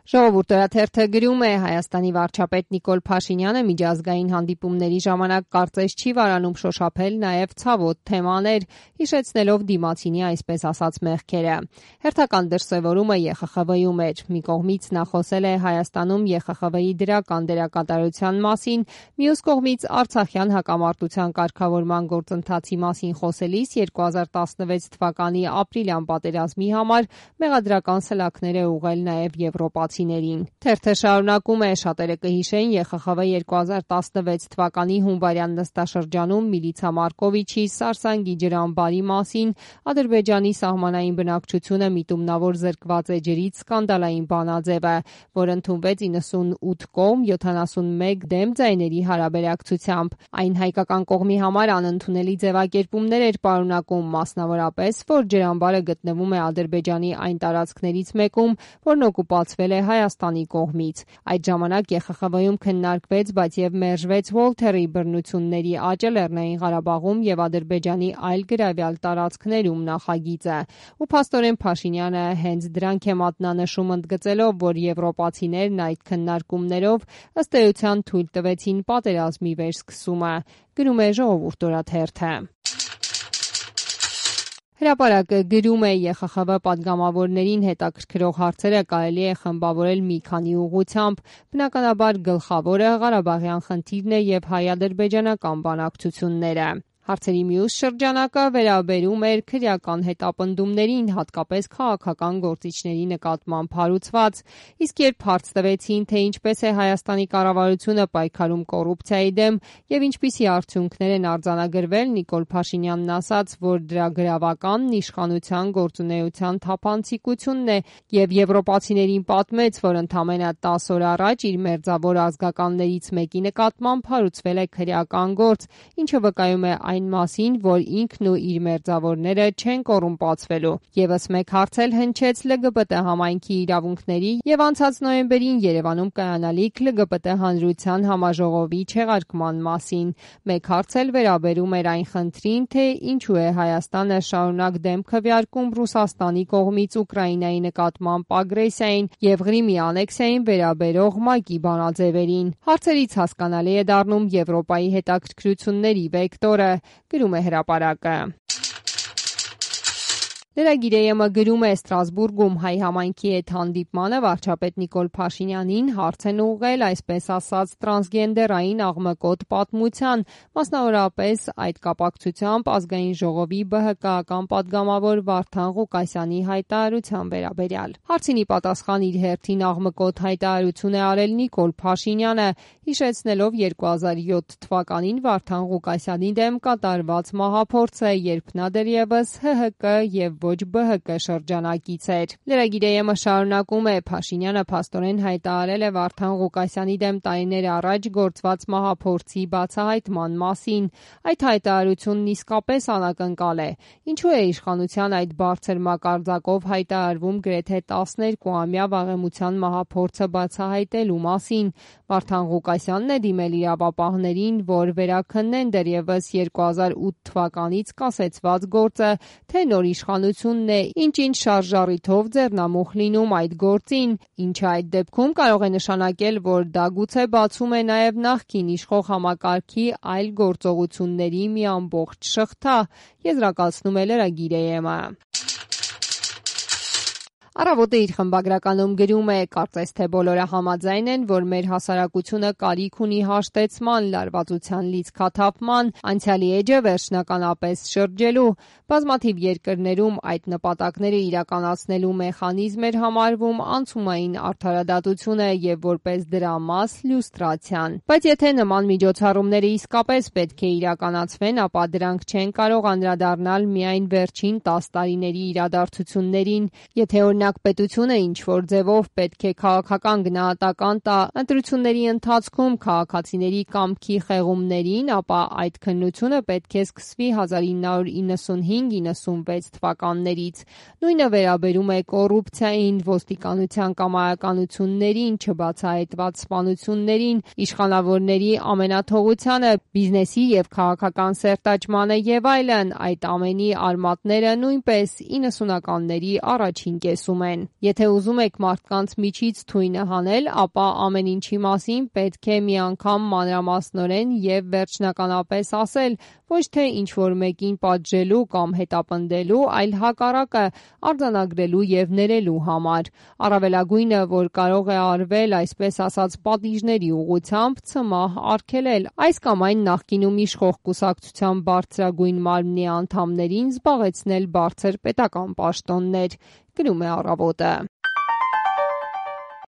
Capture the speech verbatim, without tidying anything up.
Ժողովուրդ օրաթերթը գրում է Հայաստանի վարչապետ Նիկոլ Փաշինյանը միջազգային հանդիպումների ժամանակ կարծես չի վարանում շոշափել նաև ցավոտ թեմաներ, հիշեցնելով դիմացինի այսպես ասած մեղքերը։ Հերթական դրսևորումը Է Խ Խ V-ում էր։ Մի կողմից նա խոսել է Հայաստանում Է Խ Խ V-ի դրական դերակատարության մասին, մյուս կողմից Արցախյան հակամարտության կարգավորման գործընթացի մասին խոսելիս երկու հազար տասնվեց թվականի ապրիլյան պատերազմի համար մեղադրական սլաքներ է ուղղել նաև եվրոպացի Թերթը շարունակում է, շատերը կհիշեն Է Խ Խ V երկու հազար տասնվեց թվականի հունվարյան նստաշրջանում Միլիցա Մարկովիչի Սարսանգի ջրամբարի մասին Ադրբեջանի սահմանային բնակչությունը միտումնավոր զրկված է ջրից սկանդալային բանաձևը, որ ընդունվեց իննսունութ կողմ յոթանասունմեկ դեմ ձայների հարաբերակցությամբ։ Այն հայկական կողմի համար անընդունելի ձևակերպումներ էր պարունակում, մասնավորապես, որ ջրամբարը գտնվում է Ադրբեջանի այն տարածքներից մեկում, որն օկուպացվել է Հայաստանի կողմից։ Այդ ժամանակ Է Խ Խ V-ում քննարկվեց, բայց եւ մերժվեց Վոլթերի բռնությունների աճը Լեռնային Ղարաբաղում եւ Ադրբեջանի այլ գրավյալ տարածքներում նախագիծը։ Ու փաստորեն Փաշինյանը հենց դրանք է մատնանշում, ընդգծելով, որ եվրոպացիներն այդ քննարկումներով ըստ էության թույլ տվեցին պատերազմի վերսկսումը։ Գրում է Ժողովուրդ օրաթերթը։ Հրապարակը գրում է Է Խ Խ V պատգամավորներին հետաքրքրող հարցերը կարելի է խմբավորել մի քանի ուղղությամբ, բնականաբար գլխավորը Ղարաբաղյան խնդիրն է եւ հայ-ադրբեջանական բանակցությունները։ Հարցերի մյուս շրջանակը վերաբերում էր քրեական հետապնդումներին, հատկապես քաղաքական գործիչների նկատմամբ հարուցված, իսկ երբ հարց տվեցին, թե ինչպես է Հայաստանի կառավարությունը պայքարում կոռուպցիայի դեմ եւ ինչպիսի արդյունքներ են արձանագրվել, Նիկոլ Փաշինյանն ասաց, որ դրա գրավականն իշխանության գործունեության թափանցիկությունն է եւ եվրոպացիներին պատմեց, որ ընդամենը տասը օր առաջ իր մերձավոր ազգականներից մեկի նկատմամբ հարուցվել է քրեական գործ, ինչը վկայում է այն մասին, որ ինքն ու իր մերձավորները չեն կոռումպացվելու։ Եվս մեկ հարց էլ հնչեց Л Գ B Տ համայնքի իրավունքների եւ անցած նոյեմբերին Երևանում կայանալիք Л Գ B Տ հանրության համաժողովի չեղարկման մասին։ Մեկ հարց էլ վերաբերում էր այն խնդրին, թե ինչու է Հայաստանը շարունակ դեմ քվեարկում Ռուսաստանի կողմից Ուկրաինայի նկատմամբ ագրեսիային եւ Ղրիմի անեքսիային վերաբերող ՄԱԿ-ի բանաձևերին։ Հարցերից հասկանալի է դառնում Եվրոպայի հետաքրքրությունների վեկտորը, գրում է հրապարակը։ Լրագիր Է Մ գրում է Ստրասբուրգում հայ համայնքի հետ հանդիպմանը վարչապետ Նիկոլ Փաշինյանին հարց են ուղղել այսպես ասած տրանսգենդերային աղմկոտ պատմության, մասնավորապես այդ կապակցությամբ ազգային ժողովի Բ Հ Կ-ական պատգամավոր Վարդան Ղուկասյանի հայտարարության վերաբերյալ։ Հարցին ի պատասխան իր հերթին աղմկոտ հայտարարություն է արել Նիկոլ Փաշինյանը, հիշեցնելով երկու հազար յոթ թվականին Վարդան Ղուկասյանի դեմ կատարված մահափորձը, երբ նա դեռևս Հ Հ Կ եւ ոչ Բ Հ Կ շրջանակից էր։ Լրագիր Է Մ շարունակում է. Փաշինյանը փաստորեն հայտարարել է Վարդան Ղուկասյանի դեմ տարիներ առաջ գործված մահափորձի բացահայտման մասին։ Այդ հայտարարությունն իսկապես անակնկալ է։ Ինչու է իշխանության այդ բարձր մակարդակով հայտարարվում գրեթե տասներկուամյա վաղեմության մահափորձը բացահայտելու մասին։ Վարդան Ղուկասյանն է դիմել իրավապահներին, որ վերաքննեն դեռևս երկու հազար ութ թվականից կասեցված գործը, թե նոր իշխանությունն է ինչ-ինչ շարժառիթով ձեռնամուխ լինում այդ գործին, ինչը այդ դեպքում կարող է նշանակել, որ դա գուցե բացում է նաև նախկին իշխող համակարգի այլ գործողությունների մի ամբողջ շղթա, եզրակացնում է լրագիր Է Մ-ը։ Առավոտը իր խմբագրականում գրում է. կարծես թե բոլորը համաձայն են, որ մեր հասարակությունը կարիք ունի հաշտեցման, լարվածության լիցքաթափման, անցյալի էջը վերջնականապես շրջելու։ Բազմաթիվ երկրներում այդ նպատակները իրականացնելու մեխանիզմ էր համարվում անցումային արդարադատությունը եւ որպես դրա մաս լյուստրացիան։ Բայց եթե նման միջոցառումները իսկապես պետք է իրականացվեն, ապա դրանք չեն կարող անդրադառնալ միայն վերջին տասը տարիների իրադարձություններին, եթե օրինակ պետությունը ինչ-որ ձևով պետք է քաղաքական գնահատական տա ընտրությունների ընթացքում քաղաքացիների կամքի խեղումներին, ապա այդ քննությունը պետք է սկսվի հազար ինը հարյուր իննսունհինգ իննսունվեց թվականներից։ Նույնը վերաբերում է կոռուպցիային, ոստիկանության կամայականություններին, չբացահայտված սպանություններին, իշխանավորների ամենաթողությանը, բիզնեսի եւ քաղաքական սերտաճմանը եւ այլն։ Այդ ամենի արմատները նույնպես իննսունականների առաջին կեսում ասում են. Եթե ուզում եք մարդկանց միջից թույնը հանել, ապա ամեն ինչի մասին պետք է մի անգամ մանրամասնորեն եւ վերջնականապես ասել, ոչ թե ինչ-որ մեկին պատժելու կամ հետապնդելու, այլ հակառակը արձանագրելու եւ ներելու համար։ Առավելագույնը, որ կարող է արվել այսպես ասած պատիժների ուղղությամբ, ցմահ արգելել այս կամ այն նախկինում իշխող կուսակցության բարձրագույն մարմնի անդամներին զբաղեցնել բարձր պետական պաշտոններ, գրում է Առավոտը։